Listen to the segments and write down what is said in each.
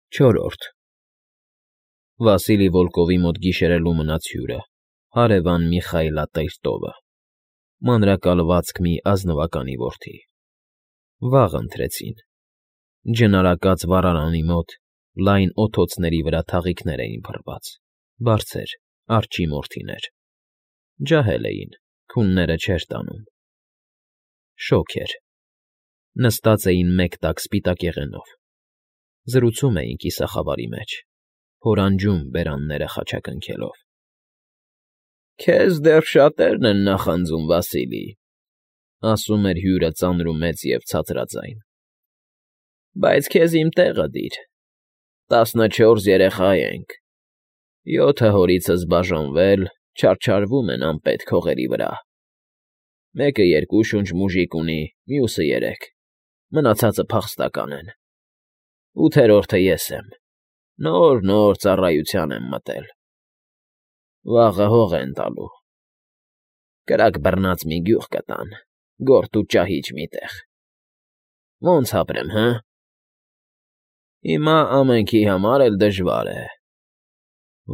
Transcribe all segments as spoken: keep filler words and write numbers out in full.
Չորրորդ Վասիլի Վոլկովի մոտ գիշերելու մնաց հյուրը, հարևան Միխայիլա Տրետովը, մանրակալվածք մի ազնվականի որդի. վաղ ընթրեցին, ջնարակած վառարանի մոտ լայն օդոցների վրա թաղիքներ էին փռված, բարձր, արջի մորթիներ, ջահել էին, քունները չէր տանում. շոգ էր, նստած էին մեկ տակ սպիտակեղենով, զրուցում էին կիսախավարի մեջ, հորանջում բերանները խաչակնքելով։ ֊ Քեզ դեռ շատերն են նախանձում, Վասիլի,֊ ասում էր հյուրը ծանրումեծ և ցածրաձայն,֊ բայց քեզ իմ տեղը դիր, տասնչորս երեխա ենք, յոթը հորիցս բաժանվել, չարչարվում են անպետք հողերի վրա, մեկը երկու շունչ մուժիկ ունի, մյուսը երեք, մնացածը փախստական են, ութերորդը ես եմ, նոր֊նոր ծառայության եմ մտել, վաղը հող են տալու, կրակ բռնած մի գյուղ կտան, գորտ ու ճահիճ մի տեղ, ո՞նց ապրեմ, հը՞… Հիմա ամենքի համար էլ դժվար է…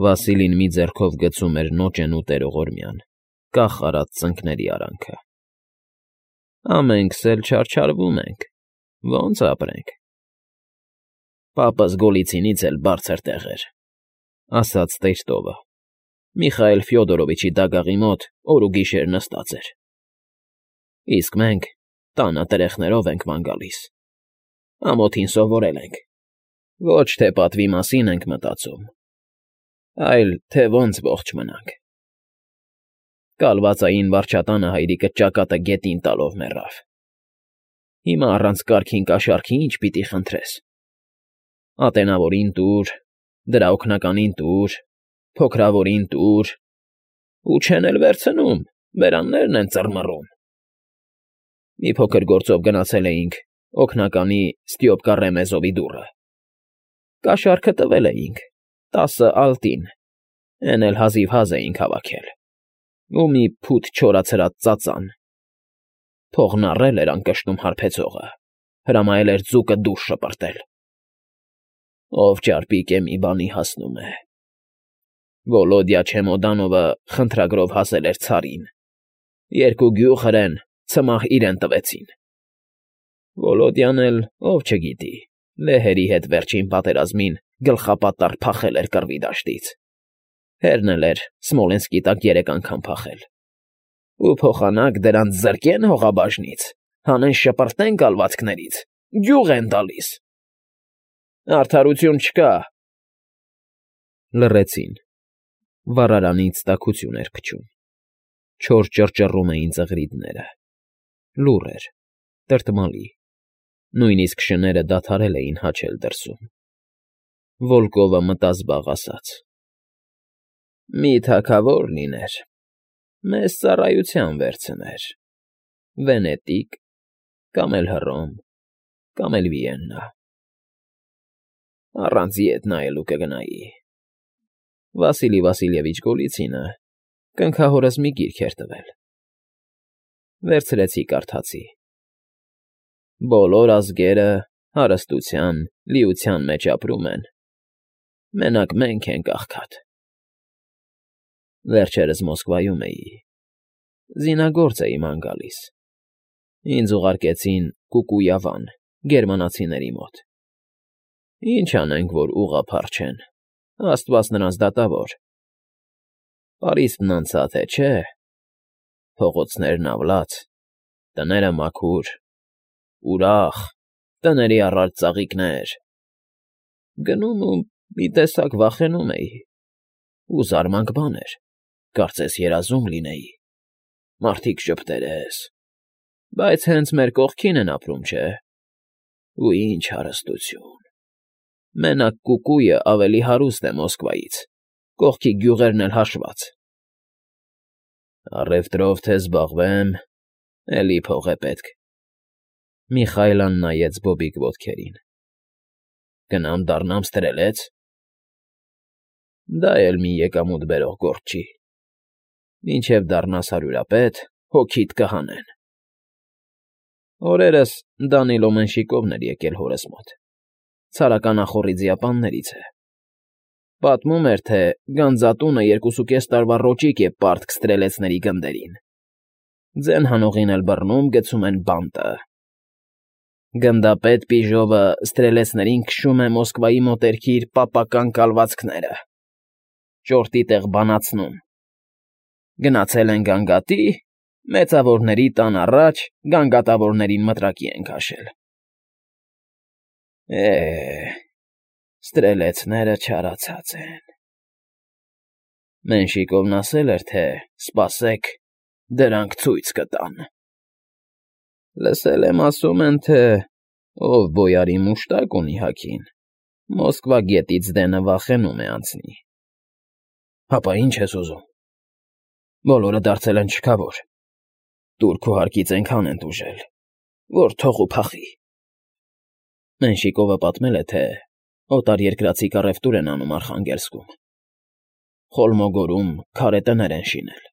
Վասիլին մի ձեռքով գցում էր նոճեն ուտերող օրմյան, կախ արած ծնկների արանքը։ ֊ Ամենքս էլ չարչարվում ենք, ո՞նց ապրենք… Պապս Գոլիցինից էլ բարձր տեղ էր,֊ ասաց Տրետովը, Միխայիլ Ֆյոդորովիչի դագաղի մոտ օր ու գիշեր նստած էր,֊ իսկ մենք տանը տրեխներով ենք ման գալիս, ամոթին սովորել ենք, ոչ թե պատվի մասին ենք մտածում, այլ թե ոնց ողջ մնանք… Կալվածային վարչատանը հայրիկը ճակատը գետին տալով մեռավ, հիմա առանց կարգին կաշառքի ի՞նչ պիտի խնդրես… Ատենավորին տուր, դրա օգնականին տուր, փոքրավորին տուր, ու չեն էլ վերցնում, բերաններն են ծռմռում… Մի փոքր գործով գնացել էինք օգնականի Ստյոպկա Ռեմեզովի դուռը, կաշառքը տվել էինք, տասը ալտին, էն էլ հազիվհազ էինք հավաքել, ու մի փութ չորացրած ծածան, փողն առել էր անկշտում հարբեցողը, հրամայել էր ձուկը դուրս շպրտել… Ով ճարպիկ է մի բանի հասնում է… Վոլոդյա Չեմոդանովը խնդրագրով հասել էր Ցարին, երկու գյուղ հրեն, ցմահ իրեն տվեցին… Վոլոդյան էլ, ով չգիտի, լեհերի հետ վերջին պատերազմին գլխապատառ փախել էր Կռվի դաշտից, հերն էլ էր Սմոլենսկի տակ երեք անգամ փախել… Ու փոխանակ դրանց զրկեն հողաբաժնից, հանեն շպրտեն կալվածքներից, գյուղ են տալիս… Արդարություն չկա… Լռեցին, վառարանից տաքություն էր փչում, չոր ճռճռում էին ծղրիդները, լուռ էր, տրտմալի, նույնիսկ շները դադարել էին հաչել դրսում… Վոլկովը մտազբաղ ասաց. «Մի թագավոր լիներ, մեզ ծառայության վերցներ, Վենետիկ, կամ էլ Հռոմ, կամ էլ Վիեննա… Առանց ետ նայելու կգնայի… Վասիլի Վասիլևիչ Գոլիցինը կնքահորս մի գիրք էր տվել… Վերցրեցի կարդացի. «Բոլոր ազգերը հարստության, լիության մեջ ապրում են, մենակ մենք ենք աղքատ…» Վերջերս Մոսկվայում էի, զինագործ էի ման գալիս, ինձ ուղարկեցին Կուկույավան, գերմանացիների մոտ… Ինչ անենք, որ ուղղափառ չեն, աստված նրանց դատավոր… Պարիսպն անցա, թե չէ… Փողոցներն ավլաց, տները մաքուր, ուրախ, տների առաջ ծաղիկներ… Գնում ու մի տեսակ վախենում էի, ու զարմանք բան էր, կարծես երազում լինեի, մարդիկ ժպտերես… Բայց հենց մեր կողքին են ապրում, չէ… Ու ինչ հարստություն… Մենակ Կուկույը ավելի հարուստ է Մոսկվայից, կողքի գյուղերն էլ հաշված… Առևտրով թե զբաղվեմ, էլի փող է պետք… Միխայլան նայեց բոբիկ ոտքերին. Գնամ դառնամ ստրելեց… Դա էլ մի եկամուտ բերող գործ չի… Մինչև դառնաս հարյուրապետ, հոգիդ կհանեն… Օրերս Դանիլո Մենշիկովն էր եկել հորս մոտ, ցարականախոռի ձիապաններից է։ Պատմում էր, թե գանձատունը երկուսուկես տարվա ռոճիկ է պարտք ստրելեցների գնդերին։ Ձեն հանողին էլ բռնում գցում են բանտը։ Գնդապետ Պիժովը ստրելեցներին քշում է Մոսկվայի մոտերքի իր պապական կալվածքները, ճորտի տեղ բանացնում։ Գնացել են գանգատի, մեծավորների տան առաջ գանգատավորներին մտրակի են քաշել։ Է, ստրելեցները չարացած են։ Մենշիկովն ասել էր, թե սպասեք, դրանք ցույց կտան։ Լսել եմ, ասում են, թե ով բոյարի մուշտակ ունի հագին, Մոսկվա գետից դենը վախենում է անցնի։ Հապա ինչ ես ուզում։ Բոլորը դարձել են չքավոր։ Տուրք ու հարկից այնքան են տուժել, որ թող ու փախի։ Մենշիկովը պատմել է, թե օտարերկրացի կառևտուր են անում Արխանգելսկում։ Խոլմոգորում քարե տներ են շինել։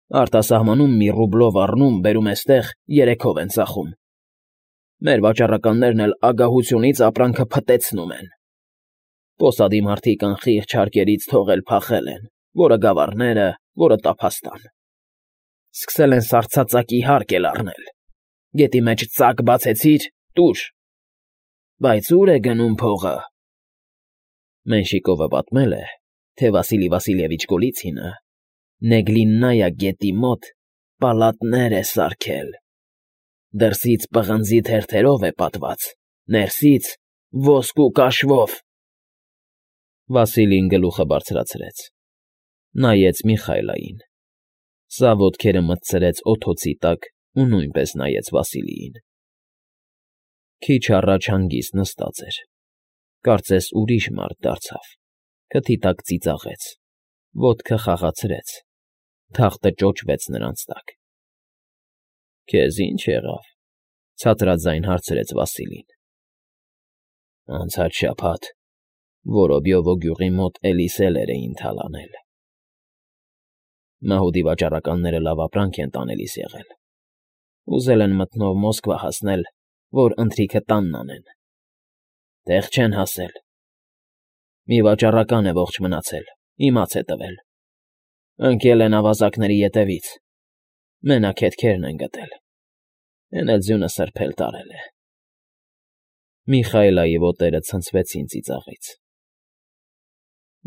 Արտասահմանում մի ռուբլով առնում, բերում էստեղ, երեքով են ծախում։ Մեր վաճառականներն էլ ագահությունից ապրանքը փտեցնում են։ Պոսադի մարդիկ անխիղճ հարկերից թողել փախել են, որը գավառները, որը տափաստան։ Սկսել են սառցածակի հարկ էլ առնել։ Գետի մեջ ծակ բացեցիր, տուր։ Բայց ուր է գնում փողը։ Մենշիկովը պատմել է, թե Վասիլի Վասիլևիչ Գոլիցինը Նեգլիննայա գետի մոտ պալատներ է սարքել։ Դրսից պղնձի թերթերով է պատված, ներսից ոսկու կաշվով։ Վասիլին գլուխը բարձրացրեց, նայեց Միխայլային, սա ոտքերը մտցրեց օդոցի տակ ու նույնպես նայեց Վասիլիին։ Քիչ առաջ հանգիստ նստած էր, կարծես ուրիշ մարդ դարձավ, քթի տակ ծիծաղեց, ոտքը խաղացրեց, թախտը ճոճվեց նրանց տակ։ Քեզ ինչ եղավ, ցածրաձայն հարցրեց Վասիլին։ Անցած շաբաթ Որոբյովո գյուղի մոտ էլիսելեր էին թալանել։ Մահուդի վաճառականները լավ ապրանք են տանելիս եղել։ Ուզել են մտնով Մոսկվա հասնել, որ ընթրիքը տանն անեն։ Տեղ չեն հասել։ Մի վաճառական է ողջ մնացել, իմաց է տվել։ Ընկել են ավազակների ետևից, մենակ հետքերն են գտել։ Էն էլ ձյունը սրբել տարել է։ Միխայլայի ոտերը ցնցվեցին ծիծաղից։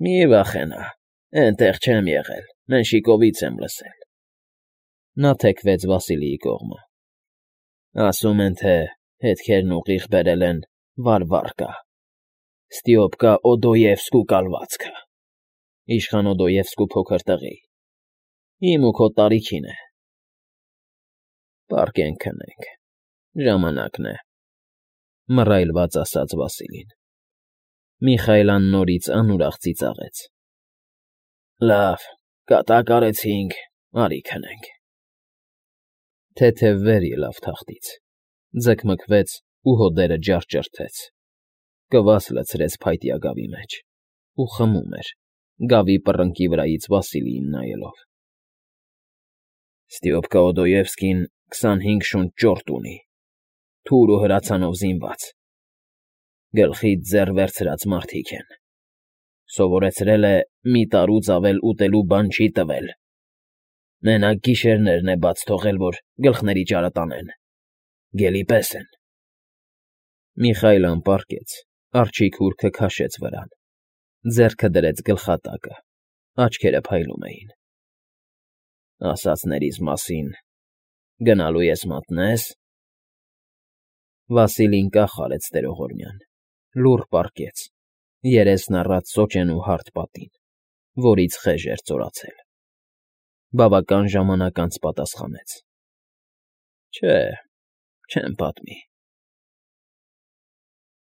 Մի վախենա, էնտեղ չեմ եղել, Մենշիկովից եմ լսել։ Նա թեքվեց Վասիլիի կողմը։ Ասում են, թե հետքերն ուղիղ բերել են Վարվարկա, Ստիոպկա Օդոյևսկու կալվածքը, իշխան Օդոյևսկու փոքր տղի, իմ ու քո տարիքին է։ Պարկենք քնենք, ժամանակն է, մռայլված ասաց Վասիլին։ Միխայլան նորից անուրախ ծիծաղեց։ Լավ, կատակ արեցինք, արի քնենք։ Թեթև վեր ելավ թախտից, ձգմգվեց ու հոդերը ջարդջրթեց, կվաս լցրեց փայտյա գավի մեջ ու խմում էր, գավի պռնկի վրայից Վասիլիին նայելով։ Ստիոպկա Օդոյևսկին քսանհինգ շունչ ճորտ ունի, թուր ու հրացանով զինված, գլխից ձեռ վերցրած մարդիկ են։ Սովորեցրել է մի տարուց ավել ուտելու բան չի տվել։ Մենակ գիշերներն է բաց թողել, որ գլխների ճարը տանեն։ Գելի պես են։ Միխայլան պառկեց, արջի քուրքը քաշեց վրան, ձեռքը դրեց գլխատակը, աչքերը փայլում էին։ Ասածներիս մասին գնալու ես մատնես։ Վասիլին կախ արեց տերողորմյան, լուռ պառկեց, երեսն առած սոճեն ու հարթ պատին, որից խեժ էր ծորացել։ Բավական ժամանակ անց պատասխանեց. Չէ, չեմ պատմի։